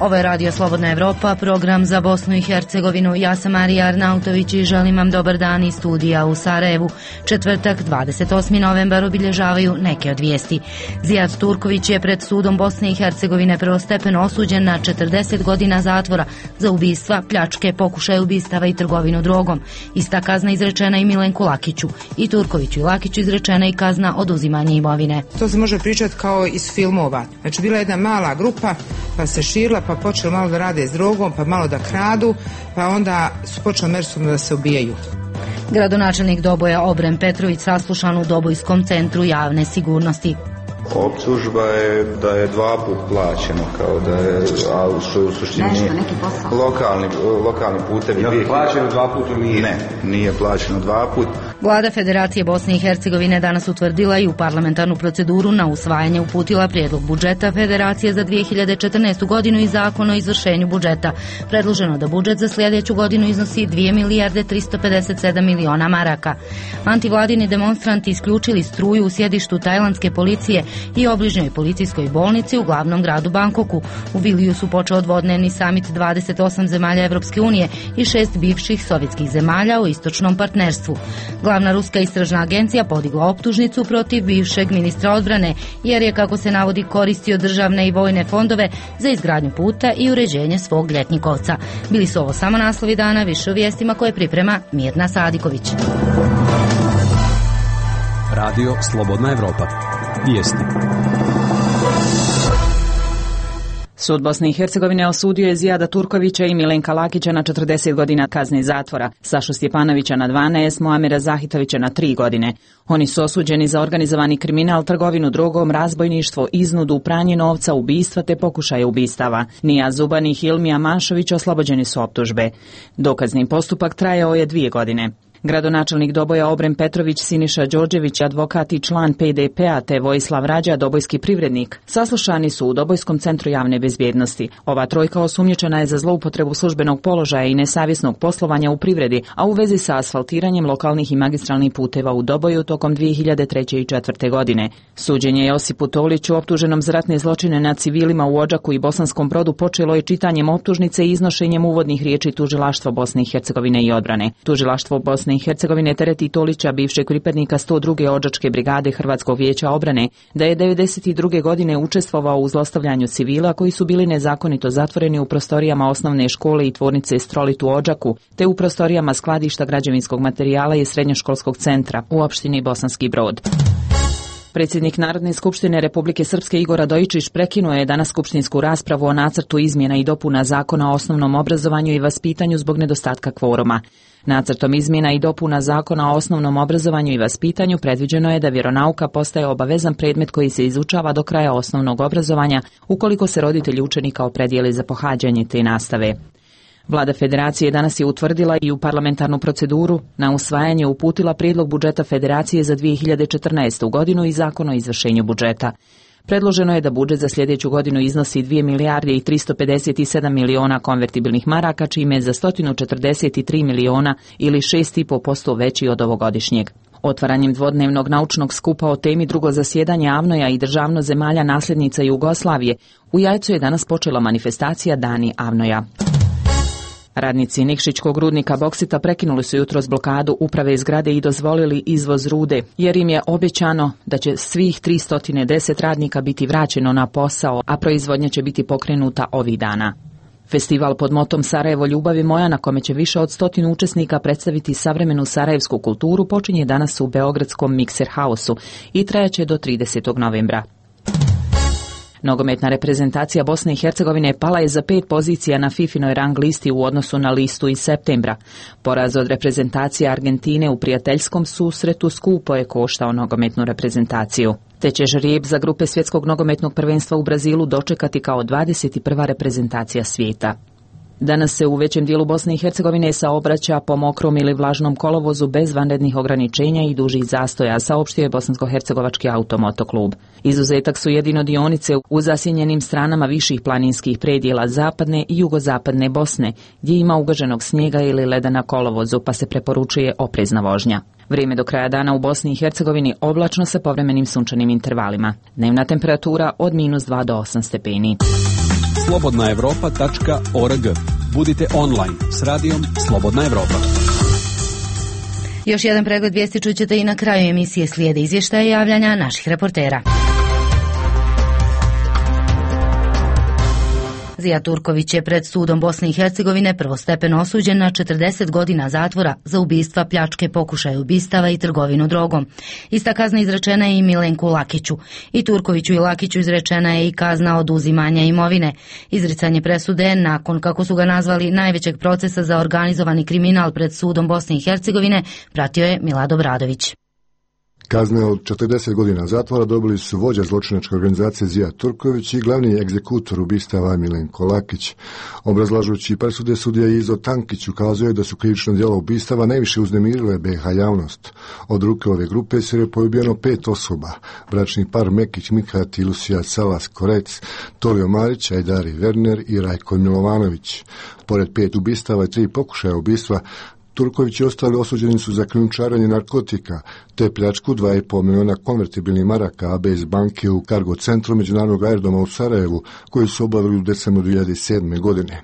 Ovo je Radio Slobodna Evropa, program za Bosnu i Hercegovinu. Ja sam Marija Arnautović i želim vam dobar dan iz studija u Sarajevu. Četvrtak, 28. novembar, obilježavaju neke od vijesti. Zijad Turković je pred sudom Bosne i Hercegovine prvostepeno osuđen na 40 godina zatvora za ubistva, pljačke, pokušaje ubistava i trgovinu drogom. Ista kazna izrečena i Milenku Lakiću. I Turkoviću i Lakiću izrečena i kazna oduzimanja imovine. To se može pričati kao iz filmova. Znači, bila je jedna mala grupa, pa se širila, pa počeli malo da rade s drogom, pa malo da kradu, pa onda su počeli međusobno da se ubijaju. Gradonačelnik Doboja Obren Petrović saslušan u Dobojskom centru javne sigurnosti. Optužba je da je 2 puta plaćeno, kao da je, a što je u suštini lokalni putevi. Je li plaćeno 2 puta ili nije? Ne, nije plaćeno 2 puta. Vlada Federacije Bosne i Hercegovine danas utvrdila i u parlamentarnu proceduru na usvajanje uputila prijedlog budžeta Federacije za 2014. godinu i zakon o izvršenju budžeta. Predloženo da budžet za sljedeću godinu iznosi 2 milijarde 357 miliona maraka. Antivladini demonstranti isključili struju u sjedištu tajlandske policije i obližnjoj policijskoj bolnici u glavnom gradu Bangkoku. U Viliju su počeo dvodnevni samit 28 zemalja Evropske unije i 6 bivših sovjetskih zemalja u istočnom partnerstvu. Glavna ruska istražna agencija podigla optužnicu protiv bivšeg ministra odbrane, jer je, kako se navodi, koristio državne i vojne fondove za izgradnju puta i uređenje svog ljetnikovca. Bili su ovo samo naslovi dana, više o vijestima koje priprema Mirna Sadiković. Radio Slobodna Evropa. Vijesti. Sud Bosne i Hercegovine osudio je Zijada Turkovića i Milenka Lakića na 40 godina kazne zatvora, Sašu Stjepanovića na 12, Muamera Zahitovića na 3 godine. Oni su osuđeni za organizovani kriminal, trgovinu drogom, razbojništvo, iznudu, pranje novca, ubistva te pokušaje ubistava. Nija Zuban i Hilmija Manšović oslobođeni su optužbe. Dokazni postupak trajao je 2 godine. Gradonačelnik Doboja Obren Petrović, Siniša Đorđević, advokat i član PDP-a te Vojislav Rađa, dobojski privrednik, saslušani su u Dobojskom centru javne bezbjednosti. Ova trojka osumnjičena je za zloupotrebu službenog položaja i nesavjesnog poslovanja u privredi, a u vezi sa asfaltiranjem lokalnih i magistralnih puteva u Doboju tokom 2003. i 2004. godine. Suđenje Josipu Toliću, optuženom za ratne zločine nad civilima u Odžaku i Bosanskom Brodu, počelo je čitanjem optužnice i iznošenjem uvodnih riječi Tužilaštva Bosne i Hercegovine i odbrane. Tužilaštvo Bosne i Hercegovine tereti Tolića, bivšeg pripadnika 102. Odžačke brigade Hrvatskog vijeća obrane, da je 1992. godine učestvovao u zlostavljanju civila koji su bili nezakonito zatvoreni u prostorijama osnovne škole i tvornice Strolit u Odžaku, te u prostorijama skladišta građevinskog materijala i srednjoškolskog centra u opštini Bosanski Brod. Predsjednik Narodne skupštine Republike Srpske Igor Radojičić prekinuo je danas skupštinsku raspravu o nacrtu izmjena i dopuna Zakona o osnovnom obrazovanju i vaspitanju zbog nedostatka kvoruma. Nacrtom izmjena i dopuna Zakona o osnovnom obrazovanju i vaspitanju predviđeno je da vjeronauka postaje obavezan predmet koji se izučava do kraja osnovnog obrazovanja ukoliko se roditelji učenika opredijele za pohađanje te nastave. Vlada Federacije danas je utvrdila i u parlamentarnu proceduru na usvajanje uputila prijedlog budžeta Federacije za 2014. godinu i zakon o izvršenju budžeta. Predloženo je da budžet za sljedeću godinu iznosi 2 milijarde i 357 miliona konvertibilnih maraka, čime je za 143 miliona ili 6,5% veći od ovogodišnjeg. Otvaranjem dvodnevnog naučnog skupa o temi drugo zasjedanje AVNOJ-a i državno zemalja nasljednica Jugoslavije, u Jajcu je danas počela manifestacija Dani AVNOJ-a. Radnici Nikšićkog rudnika boksita prekinuli su jutros blokadu uprave zgrade i dozvolili izvoz rude, jer im je obećano da će svih 310 radnika biti vraćeno na posao, a proizvodnja će biti pokrenuta ovih dana. Festival pod motom Sarajevo ljubavi moja, na kome će više od 100 učesnika predstaviti savremenu sarajevsku kulturu, počinje danas u beogradskom Mikser Hausu i trajaće do 30. novembra. Nogometna reprezentacija Bosne i Hercegovine pala je za 5 pozicija na FIFInoj rang listi u odnosu na listu iz septembra. Poraz od reprezentacije Argentine u prijateljskom susretu skupo je koštao nogometnu reprezentaciju. Te će žrijeb za grupe svjetskog nogometnog prvenstva u Brazilu dočekati kao 21. reprezentacija svijeta. Danas se u većem dijelu Bosne i Hercegovine saobraća po mokrom ili vlažnom kolovozu bez vanrednih ograničenja i dužih zastoja, saopštio je Bosansko-hercegovački automotoklub. Izuzetak su jedino dionice u zasjenjenim stranama viših planinskih predjela zapadne i jugozapadne Bosne, gdje ima ugaženog snijega ili leda na kolovozu, pa se preporučuje oprezna vožnja. Vrijeme do kraja dana u Bosni i Hercegovini oblačno sa povremenim sunčanim intervalima. Dnevna temperatura od -2 do 8 stepeni. slobodnaevropa.org. Budite online s radijom Slobodna Evropa. Još jedan pregled vijesti čućete i na kraju emisije, slijede izvještaje i javljanja naših reportera. Zijad Turković je pred sudom Bosne i Hercegovine prvostepeno osuđen na 40 godina zatvora za ubistva, pljačke, pokušaj ubistava i trgovinu drogom. Ista kazna izrečena je i Milenku Lakiću. I Turkoviću i Lakiću izrečena je i kazna oduzimanja imovine. Izricanje presude nakon, kako su ga nazvali, najvećeg procesa za organizovani kriminal pred sudom Bosne i Hercegovine pratio je Milad Bradović. Kazne od 40 godina zatvora dobili su vođa zločinačke organizacije Zijad Turković i glavni egzekutor ubistava Milenko Lakić. Obrazlažući presude, sudija Izo Tankić ukazuje da su krivično djelo ubistava najviše uznemirile BiH javnost. Od ruke ove grupe je poubijeno 5 osoba: bračni par Mekić Mikhat i Lucija Salas Korec, Tolio Marić, Ajdari Werner i Rajko Milovanović. Pored 5 ubistava i 3 pokušaja ubistva, Turković i ostali osuđeni su za krijumčarenje narkotika te pljačku 2,5 miliona konvertibilnih maraka AB iz banke u kargo centru međunarodnog aerodroma u Sarajevu, koji su obavili u decembru 2007. godine.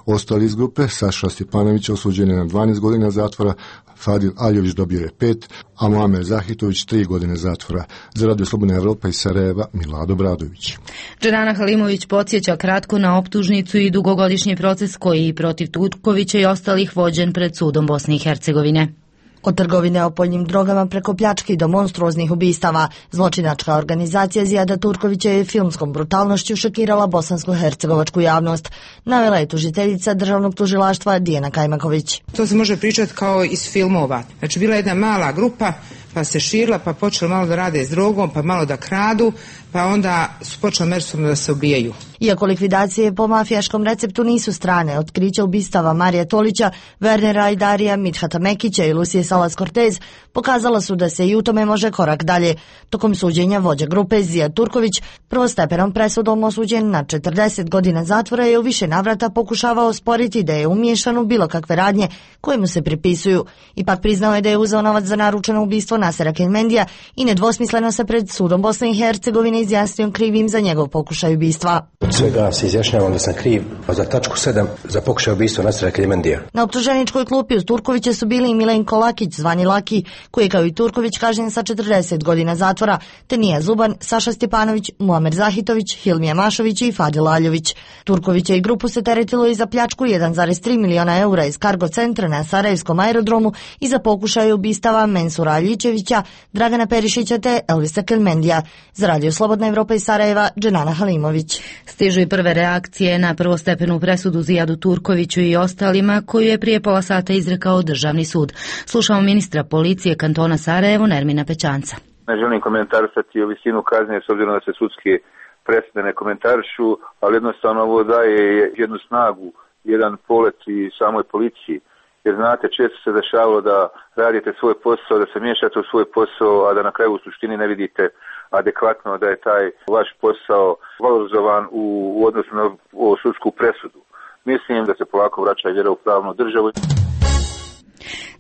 Ostali iz grupe, Saša Stjepanović osuđen je na 12 godina zatvora, Fadil Aljović dobio je 5, a Muamer Zahitović 3 godine zatvora. Za Radio Slobodna Evropa iz Sarajeva, Milad Bradović. Dženana Halimović podsjeća kratko na optužnicu i dugogodišnji proces koji protiv Turkovića i ostalih vođen pred sudom Bosne i Hercegovine. Od trgovine opojnim drogama preko pljački do monstruoznih ubistava, zločinačka organizacija Zijada Turkovića je filmskom brutalnošću šokirala bosansko-hercegovačku javnost, navela je tužiteljica državnog tužilaštva Dijana Kajmaković. To se može pričati kao iz filmova. Znači, bila jedna mala grupa, pa se širila, pa počeli malo da rade s drogom, pa malo da kradu, pa onda su počeli međusobno da se ubijaju. Iako likvidacije po mafijaškom receptu nisu strane, otkrića ubistava Marija Tolića, Wernera Ajdarija, Midhata Mekića i Lucije Salas Cortez pokazala su da se i u tome može korak dalje. Tokom suđenja vođa grupe Zijad Turković prvostepenom presudom osuđen na 40 godina zatvora je u više navrata pokušavao sporiti da je umiješan u bilo kakve radnje koje mu se pripisuju. Ipak priznao je da je uzeo novac za naručeno ubistvo Nasera Kelmendija i nedvosmisleno se pred sudom Bosne i Hercegovine izjasnio krivim za njegov pokušaj ubistva. Od svega se izjašnjavam da sam kriv za tačku 7 za pokušaj ubistva Nasera Kelmendija. Na optuženičkoj klupi uz Turkovića su bili i Milenko Lakić, zvani Laki, koji je kao i Turković kažnjen sa 40 godina zatvora, te Nija Zuban, Saša Stjepanović, Muamer Zahitović, Hilmija Mašović i Fadil Aljović. Turkovića i grupu se teretilo i za pljačku 1,3 miliona eura iz kargo centra na Sarajevskom aerodromu i za pokušaj ubistava Mensura Aljičevića, Dragana Perišića te Elvisa Kelmendija. Za Radio Slobodna Evropa iz Sarajeva, Dženana Halimović. Stižu i prve reakcije na prvostepenu presudu Zijadu Turkoviću i ostalima, koju je prije pola sata izrekao Državni sud. Slušamo ministra policije kantona Sarajevo, Nermina Pećanca. Ne želim komentarisati o visinu kazne s obzirom da se sudske presude ne komentarišu, ali jednostavno ovo daje jednu snagu, jedan polet i samoj policiji. Jer znate, često se dešavalo da radite svoj posao, da se miješate u svoj posao, a da na kraju u suštini ne vidite adekvatno da je taj vaš posao valorizovan u odnosu na sudsku presudu. Mislim da se polako vraća vjera u pravnu državu.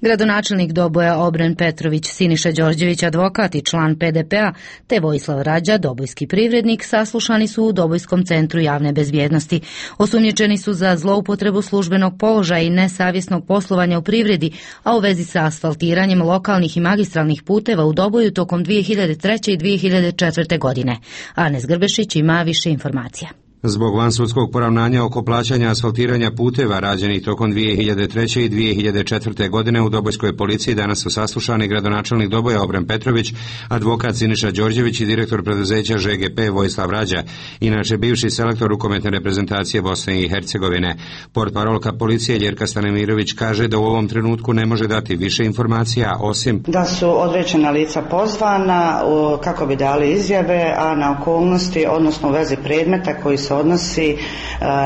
Gradonačelnik Doboja Obren Petrović, Siniša Đorđević, advokat i član PDP-a, te Vojislav Rađa, dobojski privrednik, saslušani su u Dobojskom centru javne bezbjednosti. Osumnjičeni su za zloupotrebu službenog položaja i nesavjesnog poslovanja u privredi, a u vezi sa asfaltiranjem lokalnih i magistralnih puteva u Doboju tokom 2003. i 2004. godine. Anes Grbešić ima više informacija. Zbog vansudskog poravnanja oko plaćanja asfaltiranja puteva rađenih tokom 2003. i 2004. godine u Dobojskoj policiji danas su saslušani gradonačelnik Doboja Obren Petrović, advokat Siniša Đorđević i direktor preduzeća ŽGP Vojislav Rađa, inače bivši selektor rukometne reprezentacije Bosne i Hercegovine. Portparolka policije Ljerka Stanimirović kaže da u ovom trenutku ne može dati više informacija, osim da su određena lica pozvana kako bi dali izjave, a na okolnosti, odnosno u vezi predmeta koji se odnosi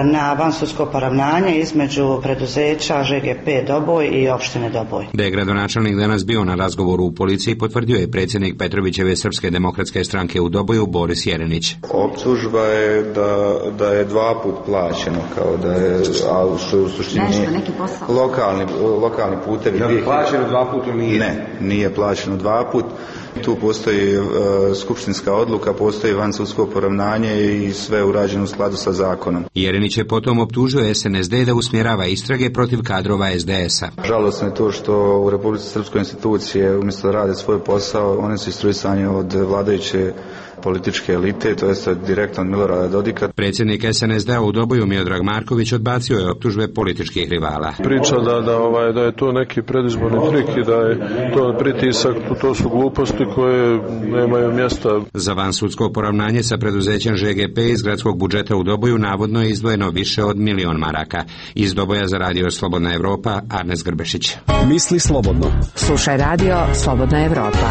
na vansudsko poravnanje između preduzeća ŽGP Doboj i opštine Doboj. Da je gradonačelnik danas bio na razgovoru u policiji, potvrdio je predsjednik Petrovićeve Srpske demokratske stranke u Doboju Boris Jerenić. Optužba je da je 2 put plaćeno, kao da je, a što je u suštini lokalni putevi. Je li plaćeno 2 puta ili nije? Ne, nije plaćeno 2 put. Tu postoji skupštinska odluka, postoji vansudsko poravnanje i sve urađeno skladu sa zakonom. Jerinić je potom optužio SNSD da usmjerava istrage protiv kadrova SDS-a. Žalosno je to što u Republici Srpskoj institucije umjesto da rade svoj posao, one su instruisani od vladajuće političke elite, to jest direktno od Milorada Dodika. Predsjednik SNSD-a u Doboju Miodrag Marković odbacio je optužbe političkih rivala. Priča da je to neki predizborni trik i da je to pritisak, to su gluposti koje nemaju mjesta. Za vansudsko poravnanje sa preduzećem ŽGP iz gradskog budžeta u Doboju navodno je izdvojeno više od 1 milion maraka. Iz Doboja za radio Slobodna Evropa, Arnes Grbešić. Misli slobodno. Slušaj radio Slobodna Evropa.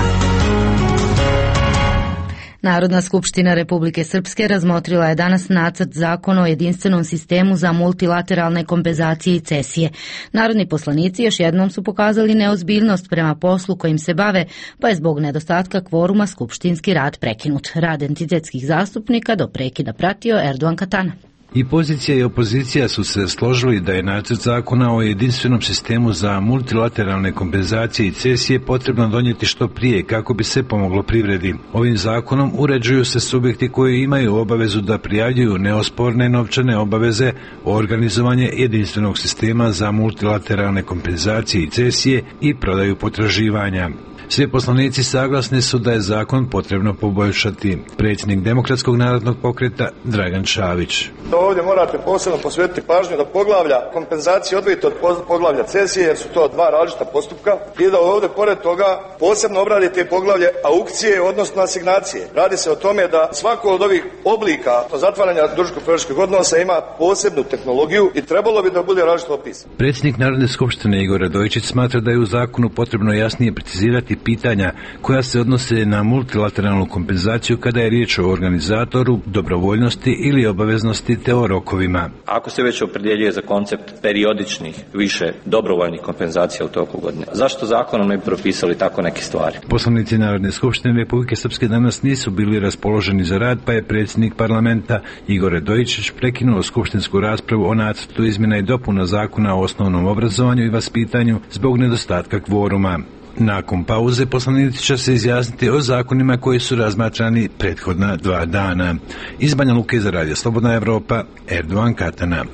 Narodna skupština Republike Srpske razmotrila je danas nacrt zakona o jedinstvenom sistemu za multilateralne kompenzacije i cesije. Narodni poslanici još jednom su pokazali neozbiljnost prema poslu kojim se bave, pa je zbog nedostatka kvoruma skupštinski rad prekinut. Rad entitetskih zastupnika do prekida pratio Erdogan Katana. I pozicija i opozicija su se složili da je nacrt zakona o jedinstvenom sistemu za multilateralne kompenzacije i cesije potrebno donijeti što prije kako bi se pomoglo privredi. Ovim zakonom uređuju se subjekti koji imaju obavezu da prijavljuju neosporne novčane obaveze o organizovanje jedinstvenog sistema za multilateralne kompenzacije i cesije i prodaju potraživanja. Svi poslanici saglasni su da je zakon potrebno poboljšati. Predsjednik Demokratskog narodnog pokreta Dragan Čavić. Ovdje morate posebno posvetiti pažnju da poglavlja kompenzacije odvojite od poglavlja cesije, jer su to dva različita postupka, i da ovdje pored toga posebno obradite poglavlje aukcije, odnosno asignacije. Radi se o tome da svako od ovih oblika zatvaranja dužničko-potrošačkih odnosa ima posebnu tehnologiju i trebalo bi da bude različito opisano. Predsjednik Narodne skupštine Igor Radojičić smatra da je u zakonu potrebno jasnije precizirati pitanja koja se odnose na multilateralnu kompenzaciju kada je riječ o organizatoru, dobrovoljnosti ili obaveznosti te o rokovima. Ako se već opredjeljuje za koncept periodičnih više dobrovoljnih kompenzacija u toku godine, zašto zakonom ne bi propisali tako neke stvari? Poslanici Narodne skupštine Republike Srpske danas nisu bili raspoloženi za rad, pa je predsjednik parlamenta Igor Radojičić prekinuo skupštinsku raspravu o nacrtu izmjena i dopuna zakona o osnovnom obrazovanju i vaspitanju zbog nedostatka kvoruma. Nakon pauze poslanici će se izjasniti o zakonima koji su razmatrani prethodna 2 dana. Iz Banja Luke za radio Slobodna Evropa, Erdogan Katana.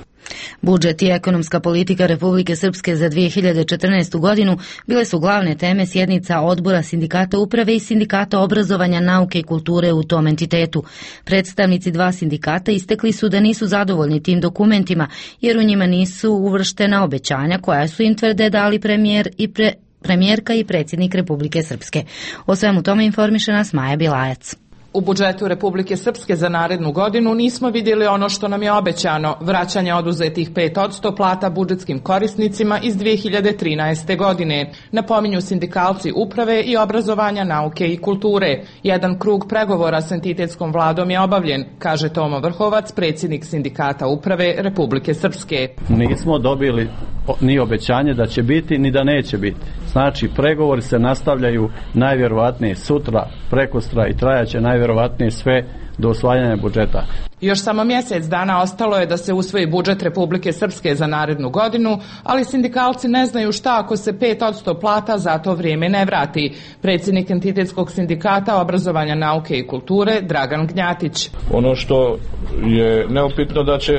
Budžet i ekonomska politika Republike Srpske za 2014. godinu bile su glavne teme sjednica odbora sindikata uprave i sindikata obrazovanja, nauke i kulture u tom entitetu. Predstavnici 2 sindikata istekli su da nisu zadovoljni tim dokumentima, jer u njima nisu uvrštena obećanja koja su im tvrde dali premijerka i predsjednik Republike Srpske. O svemu tome informiše nas Maja Bilajac. U budžetu Republike Srpske za narednu godinu nismo vidjeli ono što nam je obećano, vraćanje oduzetih 5% plata budžetskim korisnicima iz 2013. godine, napominju sindikalci uprave i obrazovanja, nauke i kulture. Jedan krug pregovora s entitetskom vladom je obavljen, kaže Tomo Vrhovac, predsjednik sindikata uprave Republike Srpske. Nismo dobili ni obećanje da će biti, ni da neće biti. Znači, pregovori se nastavljaju najvjerovatnije sutra, prekostra i trajaće najvjerovatnije sve do usvajanja budžeta. Još samo mjesec dana ostalo je da se usvoji budžet Republike Srpske za narednu godinu, ali sindikalci ne znaju šta ako se 5% plata za to vrijeme ne vrati. Predsjednik entitetskog sindikata obrazovanja, nauke i kulture Dragan Gnjatić. Ono što je neupitno da će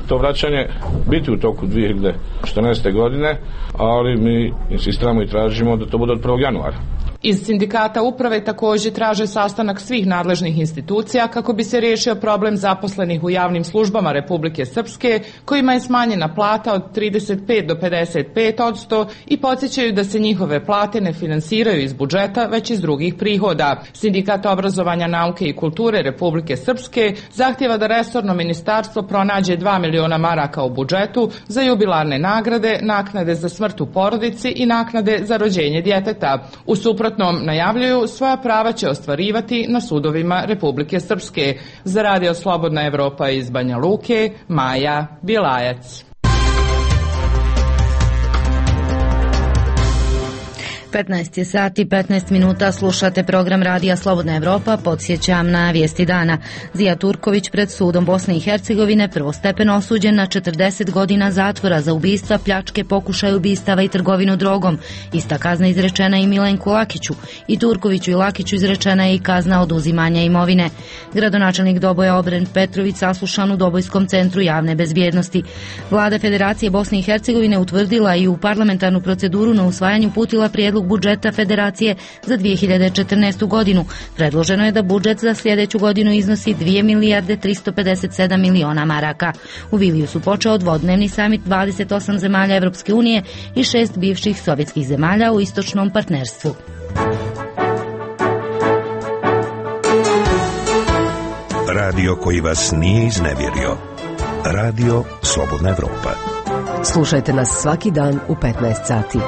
to vraćanje biti u toku 2014. godine, ali mi insistiramo i tražimo da to bude od 1. januara. Iz sindikata uprave također traže sastanak svih nadležnih institucija kako bi se riješio problem zaposlenih u javnim službama Republike Srpske, kojima je smanjena plata od 35 do 55% i podsjećaju da se njihove plate ne finansiraju iz budžeta, već iz drugih prihoda. Sindikat obrazovanja, nauke i kulture Republike Srpske zahtjeva da resorno ministarstvo pronađe 2 miliona maraka u budžetu za jubilarne nagrade, naknade za smrt u porodici i naknade za rođenje djeteta. U suprotnom najavljuju, svoja prava će ostvarivati na sudovima Republike Srpske. Za radio Slobodna Evropa iz Banja Luke, Maja Bilajac. 15 je sati, 15 minuta, slušate program Radija Slobodna Evropa, podsjećam na vijesti dana. Zija Turković pred sudom Bosne i Hercegovine prvostepeno osuđen na 40 godina zatvora za ubistva, pljačke, pokušaj ubistava i trgovinu drogom. Ista kazna izrečena i Milenku Lakiću. I Turkoviću i Lakiću izrečena je i kazna oduzimanja imovine. Gradonačelnik Doboja Obren Petrović saslušan u Dobojskom centru javne bezbjednosti. Vlada Federacije Bosne i Hercegovine utvrdila i u parlamentarnu proceduru na usvajanju uputila prijedlog budžeta Federacije za 2014. godinu. Predloženo je da budžet za sljedeću godinu iznosi 2 milijarde 357 miliona maraka. U Vilniusu počeo dvodnevni samit 28 zemalja Evropske unije i 6 bivših sovjetskih zemalja u istočnom partnerstvu. Radio koji vas nije iznevjerio. Radio Slobodna Evropa. Slušajte nas svaki dan u 15 sati.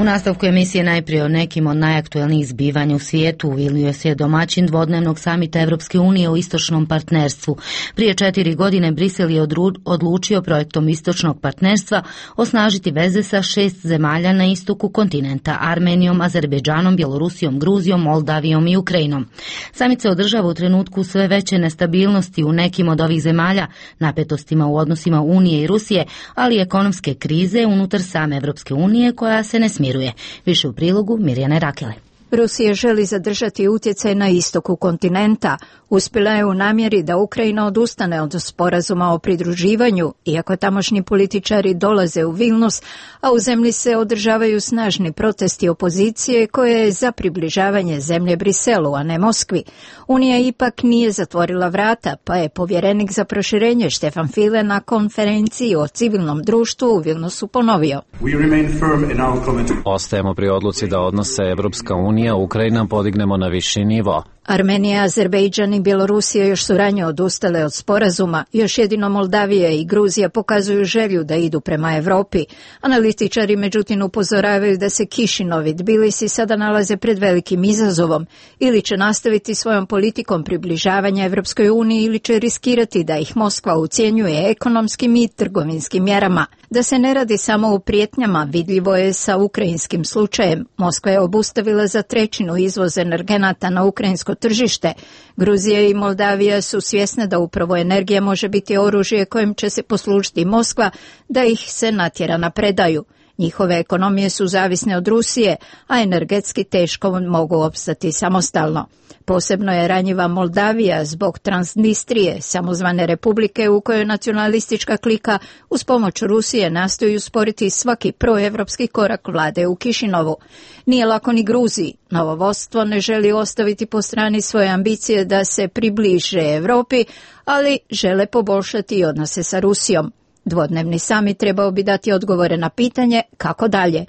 U nastavku emisije najprije o nekim od najaktuelnijih zbivanja u svijetu. U Vilniusu je domaćin dvodnevnog samita Evropske unije o istočnom partnerstvu. Prije 4 godine Brisel je odlučio projektom istočnog partnerstva osnažiti veze sa 6 zemalja na istoku kontinenta: Armenijom, Azerbejdžanom, Bjelorusijom, Gruzijom, Moldavijom i Ukrajinom. Samit se održava u trenutku sve veće nestabilnosti u nekim od ovih zemalja, napetostima u odnosima Unije i Rusije, ali i ekonomske krize unutar same Evropske unije koja se ne smiruje. Više u prilogu Mirjane Rakele. Rusija želi zadržati utjecaj na istoku kontinenta. Uspjela je u namjeri da Ukrajina odustane od sporazuma o pridruživanju, iako tamošnji političari dolaze u Vilnius, a u zemlji se održavaju snažni protesti opozicije koje je za približavanje zemlje Briselu, a ne Moskvi. Unija ipak nije zatvorila vrata, pa je povjerenik za proširenje Štefan File na konferenciji o civilnom društvu u Vilniusu ponovio. Ostajemo pri odluci da odnose Evropska unija Ukrajina podignemo na viši nivo. Armenija, Azerbejdžan i Bjelorusija još su ranije odustale od sporazuma, još jedino Moldavija i Gruzija pokazuju želju da idu prema Europi. Analitičari međutim upozoravaju da se Kišinov i Tbilisi sada nalaze pred velikim izazovom, ili će nastaviti svojom politikom približavanja Evropskoj uniji ili će riskirati da ih Moskva ucjenjuje ekonomskim i trgovinskim mjerama. Da se ne radi samo o prijetnjama, vidljivo je sa ukrajinskim slučajem. Moskva je obustavila za 1/3 izvoz energenata na ukrajinsko tržište. Gruzija i Moldavija su svjesne da upravo energija može biti oružje kojim će se poslužiti Moskva da ih se natjera na predaju. Njihove ekonomije su zavisne od Rusije, a energetski teško mogu opstati samostalno. Posebno je ranjiva Moldavija zbog Transnistrije, samozvane republike u kojoj nacionalistička klika uz pomoć Rusije nastoji usporiti svaki proevropski korak vlade u Kišinovu. Nije lako ni Gruziji. Novo vodstvo ne želi ostaviti po strani svoje ambicije da se približe Europi, ali žele poboljšati i odnose sa Rusijom. Dvodnevni samit trebao bi dati odgovore na pitanje kako dalje.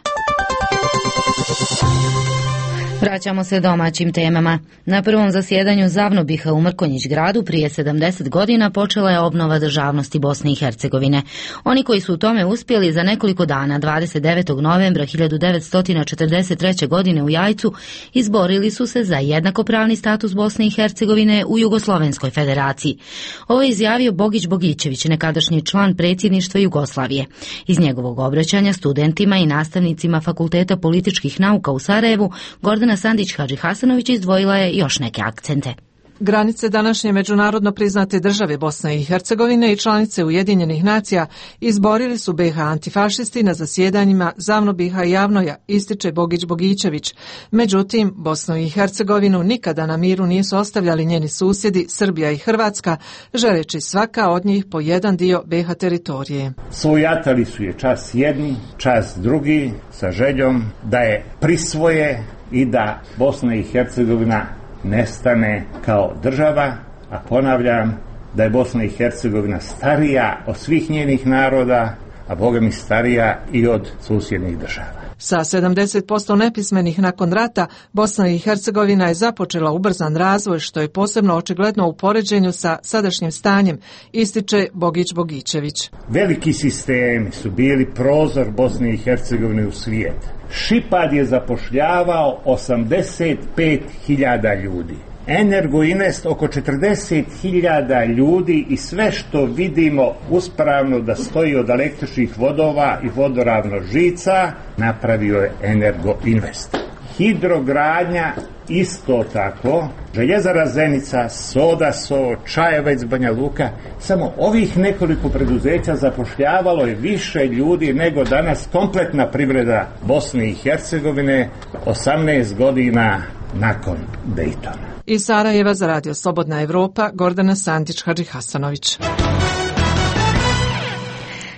Vraćamo se domaćim temama. Na prvom zasjedanju Zavnobiha u Mrkonjić gradu prije 70 godina počela je obnova državnosti Bosne i Hercegovine. Oni koji su u tome uspjeli za nekoliko dana, 29. novembra 1943. godine u Jajcu, izborili su se za jednakopravni status Bosne i Hercegovine u Jugoslovenskoj federaciji. Ovo je izjavio Bogić Bogićević, nekadašnji član predsjedništva Jugoslavije. Iz njegovog obraćanja studentima i nastavnicima Fakulteta političkih nauka u Sarajevu, Gordana Sandić Hadži Hasanović izdvojila je još neke akcente. Granice današnje međunarodno priznate države Bosne i Hercegovine i članice Ujedinjenih nacija izborili su BiH antifašisti na zasjedanjima Zavnobiha i Javnoja, ističe Bogić Bogićević. Međutim, Bosnu i Hercegovinu nikada na miru nisu ostavljali njeni susjedi Srbija i Hrvatska, želeći svaka od njih po jedan dio BiH teritorije. Svojatali su je čas jedni, čas drugi, sa željom da je prisvoje i da Bosna i Hercegovina nestane kao država, a ponavljam da je Bosna i Hercegovina starija od svih njenih naroda, a Boga mi starija i od susjednih država. Sa 70% nepismenih nakon rata, Bosna i Hercegovina je započela ubrzan razvoj, što je posebno očigledno u poređenju sa sadašnjim stanjem, ističe Bogić Bogićević. Veliki sistemi su bili prozor Bosne i Hercegovine u svijet. Šipad je zapošljavao 85.000 ljudi. Energoinvest oko 40.000 ljudi i sve što vidimo uspravno da stoji od električnih vodova i vodoravno žica napravio je Energoinvest. Hidrogradnja isto tako, Željezara Zenica, Sodaso, Čajevec, Banja Luka, samo ovih nekoliko preduzeća zapošljavalo je više ljudi nego danas kompletna privreda Bosne i Hercegovine 18 godina nakon Dejtona. Iz Sarajeva za Radio Slobodna Evropa, Gordana Sandić-Hadži-Hasanović.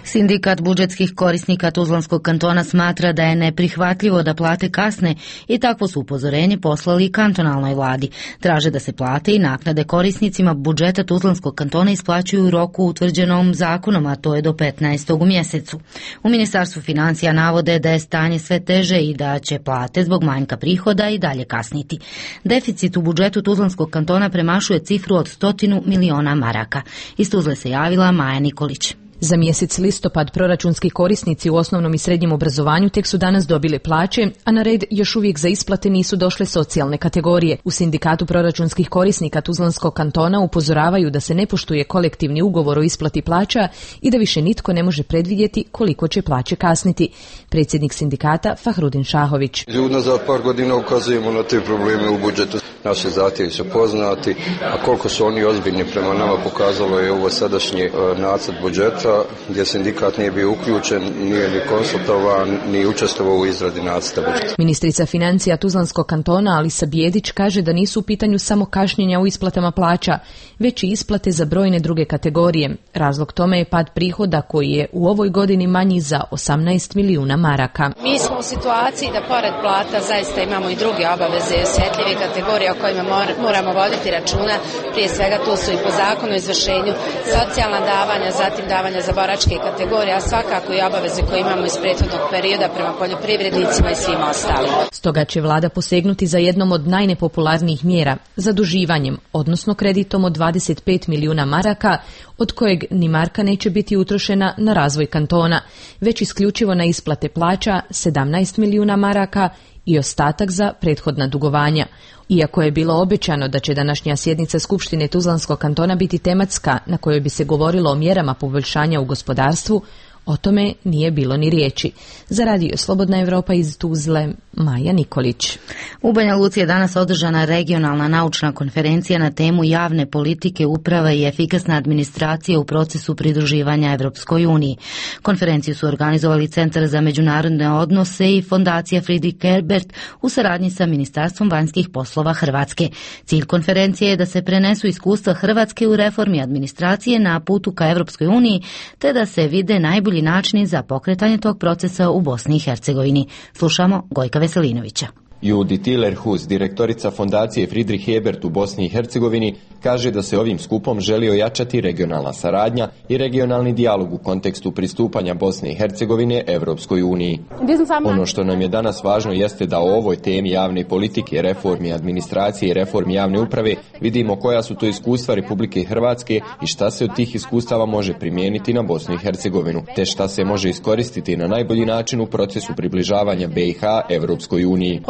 Sindikat budžetskih korisnika Tuzlanskog kantona smatra da je neprihvatljivo da plate kasne i takvo su upozorenje poslali kantonalnoj vladi. Traže da se plate i naknade korisnicima budžeta Tuzlanskog kantona isplaćuju u roku utvrđenom zakonom, a to je do 15. u mjesecu. U Ministarstvu financija navode da je stanje sve teže i da će plate zbog manjka prihoda i dalje kasniti. Deficit u budžetu Tuzlanskog kantona premašuje cifru od 100 miliona maraka. Iz Tuzle se javila Maja Nikolić. Za mjesec listopad proračunski korisnici u osnovnom i srednjem obrazovanju tek su danas dobili plaće, a na red još uvijek za isplate nisu došle socijalne kategorije. U Sindikatu proračunskih korisnika Tuzlanskog kantona upozoravaju da se ne poštuje kolektivni ugovor o isplati plaća i da više nitko ne može predvidjeti koliko će plaće kasniti. Predsjednik sindikata Fahrudin Šahović. Unazad par godina ukazujemo na te probleme u budžetu. Naši zahtjevi su poznati, a koliko su oni ozbiljni prema nama pokazalo je ovo sadašnji nacrt budžeta, gdje sindikat nije bio uključen, nije ni konsultovan, ni učestvovao u izradi nacrta budžeta. Ministrica financija Tuzlanskog kantona Alisa Bijedić kaže da nisu u pitanju samo kašnjenja u isplatama plaća, već i isplate za brojne druge kategorije. Razlog tome je pad prihoda koji je u ovoj godini manji za 18 milijuna maraka. Mi smo u situaciji da pored plata zaista imamo i druge obaveze i osjetljive kategorije o kojima moramo voditi računa. Prije svega tu su i po zakonu o izvršenju socijalna davanja, zatim davanja za boračke kategorije, a svakako i obaveze koje imamo iz prethodnog perioda prema poljoprivrednicima i svima ostalim. Stoga će vlada posegnuti za jednom od najnepopularnijih mjera, zaduživanjem, odnosno kreditom od 25 milijuna maraka, od kojeg ni marka neće biti utrošena na razvoj kantona, već isključivo na isplate plaća 17 milijuna maraka i ostatak za prethodna dugovanja. Iako je bilo obećano da će današnja sjednica Skupštine Tuzlanskog kantona biti tematska na kojoj bi se govorilo o mjerama poboljšanja u gospodarstvu, o tome nije bilo ni riječi. Za Radio Slobodna Evropa iz Tuzle, Maja Nikolić. U Banja Luci je danas održana regionalna naučna konferencija na temu javne politike, uprava i efikasna administracija u procesu pridruživanja Evropskoj uniji. Konferenciju su organizovali Centar za međunarodne odnose i Fondacija Friedrich Ebert u saradnji sa Ministarstvom vanjskih poslova Hrvatske. Cilj konferencije je da se prenesu iskustva Hrvatske u reformi administracije na putu ka Evropskoj uniji, te da se vide najbolji načini za pokretanje tog procesa u Bosni i Hercegovini. Slušamo Gojka Veselinovića. Judith Tillerhus, direktorica Fondacije Friedrich Ebert u Bosni i Hercegovini, kaže da se ovim skupom želi ojačati regionalna saradnja i regionalni dijalog u kontekstu pristupanja Bosne i Hercegovine Evropskoj uniji. Ono što nam je danas važno jeste da o ovoj temi javne politike, reformi administracije i reformi javne uprave vidimo koja su to iskustva Republike Hrvatske i šta se od tih iskustava može primijeniti na Bosnu i Hercegovinu, te šta se može iskoristiti na najbolji način u procesu približavanja BiH Evropskoj uniji.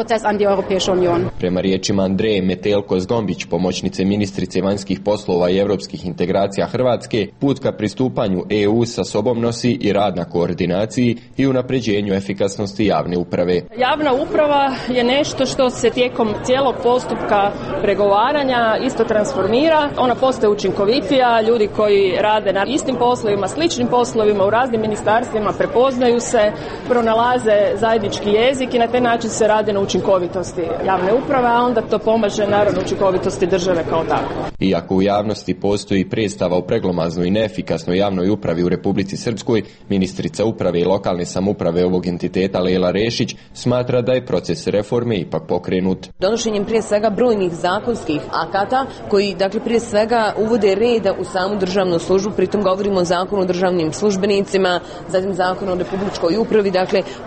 Prema riječima Andreje Metelko-Zgombić, pomoćnice ministrice vanjskih poslova i europskih integracija Hrvatske, put ka pristupanju EU sa sobom nosi i rad na koordinaciji i unapređenju efikasnosti javne uprave. Javna uprava je nešto što se tijekom cijelog postupka pregovaranja isto transformira. Ona postaje učinkovitija, ljudi koji rade na istim poslovima, sličnim poslovima u raznim ministarstvima prepoznaju se, pronalaze zajednički jezik i na taj način se radi na učinkovitosti javne uprave, a onda to pomaže naravno učinkovitosti države kao takve. Iako u javnosti postoji predstava o preglomaznoj i neefikasnoj javnoj upravi u Republici Srpskoj, ministrica uprave i lokalne samouprave ovog entiteta Lela Rešić smatra da je proces reforme ipak pokrenut. Donošenjem prije svega brojnih zakonskih akata koji prije svega uvode reda u samu državnu službu, pritom govorimo o zakonu o državnim službenicima, zatim zakonu o republičkoj upravi,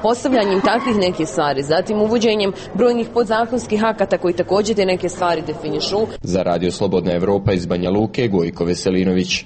postavljanjem takvih nekih stvari, zatim uvođenjem brojnih podzakonskih akata koji također te neke stvari definišu. Za Radio Slobodna Evropa iz Banja Luke, Gojko Veselinović.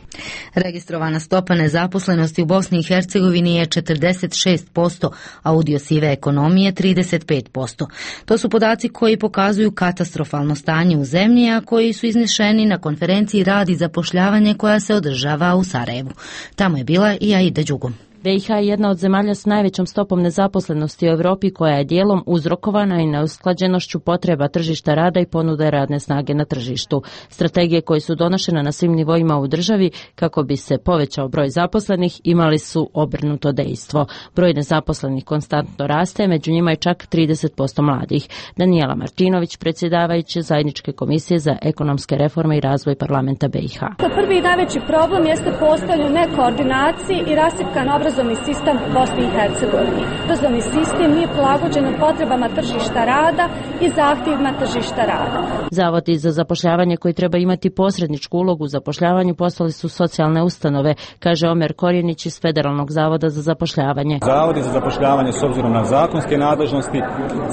Registrovana stopa nezaposlenosti u Bosni i Hercegovini je 46%, a udio sive ekonomije 35%. To su podaci koji pokazuju katastrofalno stanje u zemlji, a koji su iznešeni na konferenciji Rad i zapošljavanje koja se održava u Sarajevu. Tamo je bila i Aida Đugum. BiH je jedna od zemalja s najvećom stopom nezaposlenosti u Europi koja je dijelom uzrokovana i neusklađenošću potreba tržišta rada i ponude radne snage na tržištu. Strategije koje su donošene na svim nivoima u državi kako bi se povećao broj zaposlenih imali su obrnuto dejstvo. Broj nezaposlenih konstantno raste, među njima je čak 30% mladih. Danijela Martinović, predsjedavajuća Zajedničke komisije za ekonomske reforme i razvoj parlamenta BiH. Prvi i najveći problem jeste postojanje nekoordinacije i rasipkan obrazovni sistem u Bosni i Hercegovini. Obrazovni sistem nije prilagođen potrebama tržišta rada i zahtjevima tržišta rada. Zavodi za zapošljavanje koji treba imati posredničku ulogu u zapošljavanju postali su socijalne ustanove, kaže Omer Korjenić iz Federalnog zavoda za zapošljavanje. Zavodi za zapošljavanje s obzirom na zakonske nadležnosti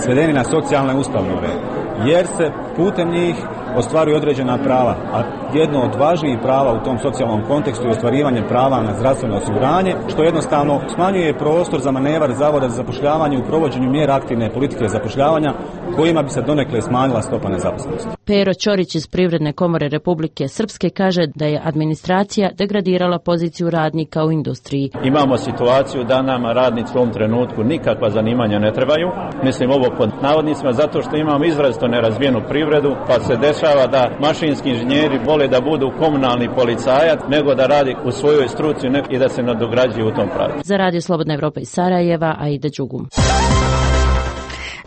svedeni na socijalne ustanove, jer se putem njih ostvaruju određena prava, a jedno od važnijih prava u tom socijalnom kontekstu je ostvarivanje prava na zdravstveno osiguranje, što jednostavno smanjuje prostor za manevar Zavoda za zapošljavanje u provođenju mjera aktivne politike zapošljavanja kojima bi se donekle smanjila stopa nezaposlenosti. Pero Ćorić iz Privredne komore Republike Srpske kaže da je administracija degradirala poziciju radnika u industriji. Imamo situaciju da nama radnici u ovom trenutku nikakva zanimanja ne trebaju. Mislim ovo pod navodnicima zato što imamo izrazito nerazvijenu privredu, pa se dešava da mašinski inženjeri vole da budu komunalni policajac nego da radi u svojoj struci i da se nadograđuju u tom pravcu. Za Radio Slobodna Evropa iz Sarajeva, Aida Đugum.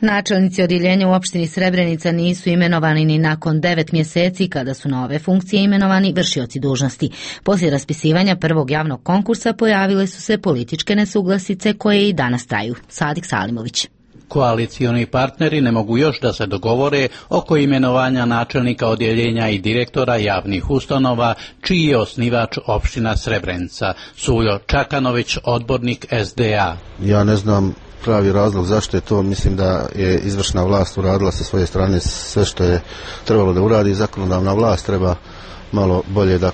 Načelnici odjeljenja u opštini Srebrenica nisu imenovani ni nakon 9 mjeseci kada su na ove funkcije imenovani vršioci dužnosti. Poslije raspisivanja prvog javnog konkursa pojavile su se političke nesuglasice koje i danas traju. Sadik Salimović. Koalicioni partneri ne mogu još da se dogovore oko imenovanja načelnika odjeljenja i direktora javnih ustanova, čiji je osnivač opština Srebrenica. Suljo Čakanović, odbornik SDA. Ja ne znam pravi razlog zašto je to. Mislim da je izvršna vlast uradila sa svoje strane sve što je trebalo da uradi. Zakonodavna vlast treba malo bolje da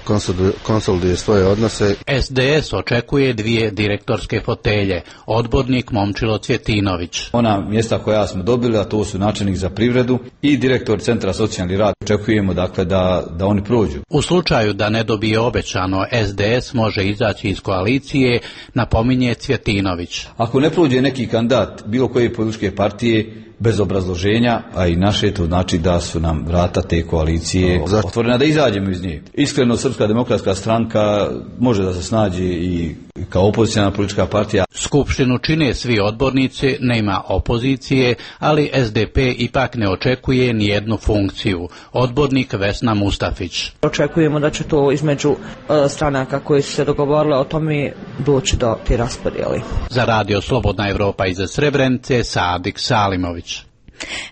konsoliduje svoje odnose. SDS očekuje 2 direktorske fotelje. Odbornik Momčilo Cvjetinović. Ona mjesta koja smo dobili, a to su načelnik za privredu i direktor Centra socijalni rad. Očekujemo dakle da oni prođu. U slučaju da ne dobije obećano, SDS može izaći iz koalicije, napominje Cvjetinović. Ako ne prođe neki kandidat bilo koje političke partije bez obrazloženja, a i naše, to znači da su nam vrata te koalicije otvorena da izađemo iz nje. Iskreno, Srpska demokratska stranka može da se snađe i kao opozicijna politička partija. Skupštinu čine svi odbornici, nema opozicije, ali SDP ipak ne očekuje ni jednu funkciju. Odbornik Vesna Mustafić. Očekujemo da će to između stranaka koji su se dogovorile o tome doći do te raspodjeli. Za Radio Slobodna Evropa iz Srebrenice, Sadik Salimović.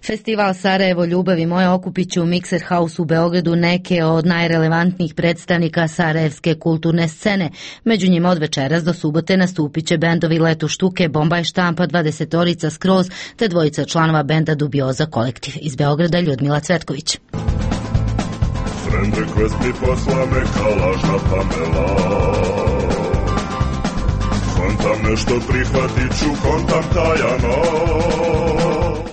Festival Sarajevo ljubav i moja okupit će u Mixer House u Beogradu neke od najrelevantnijih predstavnika sarajevske kulturne scene. Među njima od večeras do subote nastupit će bendovi Letu Štuke, Bombaj Štampa, 20-orica Skroz, te 2 članova benda Dubioza Kolektiv. Iz Beograda Ljudmila Cvetković. Friend request mi posla me kalažna Pamela. Kontam nešto prihvatit ću, kontam tajano.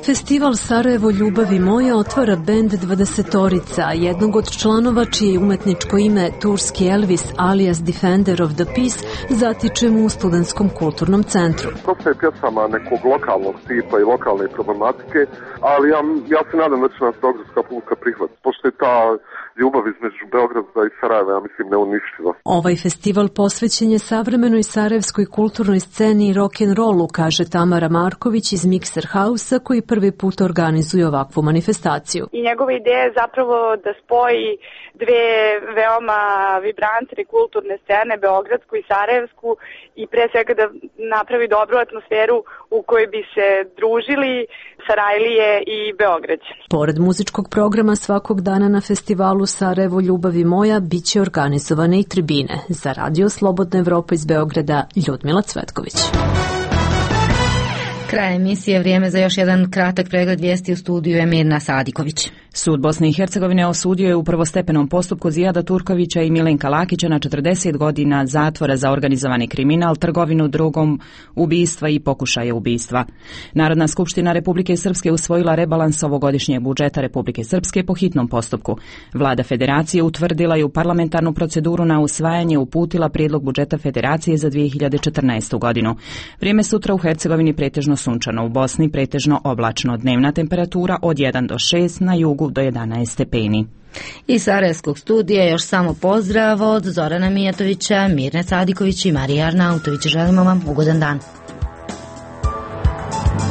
Festival Sarajevo ljubavi moja otvara bend 20-orica, jednog od članova čije je umetničko ime Turski Elvis alias Defender of the Peace zatičemo u Studentskom kulturnom centru. Dosta je pjesama nekog lokalnog tipa i lokalne problematike, ali ja se nadam da će nas beogradska publika prihvatiti, pošto je ta ljubav između Beograda i Sarajeva, ja mislim, neuništiva. Ovaj festival posvećen je savremenoj sarajevskoj kulturnoj sceni i rock'n'rollu, kaže Tamara Marković iz Mixer House-a, koji prvi put organizuje ovakvu manifestaciju. I njegova ideja je zapravo da spoji 2 veoma vibrantne kulturne scene, beogradsku i sarajevsku, i pre svega da napravi dobru atmosferu u kojoj bi se družili Sarajlije i Beograđani. Pored muzičkog programa svakog dana na festivalu Sarajevo ljubavi moja biće organizovane i tribine. Za Radio Slobodna Evropa iz Beograda Ljudmila Cvetković. Kraj emisije, vrijeme za još jedan kratak pregled vijesti. U studiju je Mirna Sadiković. Sud Bosne i Hercegovine osudio je u prvostepenom postupku Zijada Turkovića i Milenka Lakića na 40 godina zatvora za organizovani kriminal, trgovinu drogom, ubistva i pokušaje ubistva. Narodna skupština Republike Srpske usvojila rebalans ovogodišnjeg budžeta Republike Srpske po hitnom postupku. Vlada Federacije utvrdila je u parlamentarnu proceduru na usvajanje uputila prijedlog budžeta Federacije za 2014. godinu. Vrijeme sutra u Hercegovini pretežno sunčano, u Bosni pretežno oblačno, dnevna temperatura od 1 do 6, na jugu do 11 stepeni. Iz Sarajevskog studija još samo pozdrav od Zorana Mijatovića, Mirne Sadiković i Marije Arnautović. Želimo vam ugodan dan.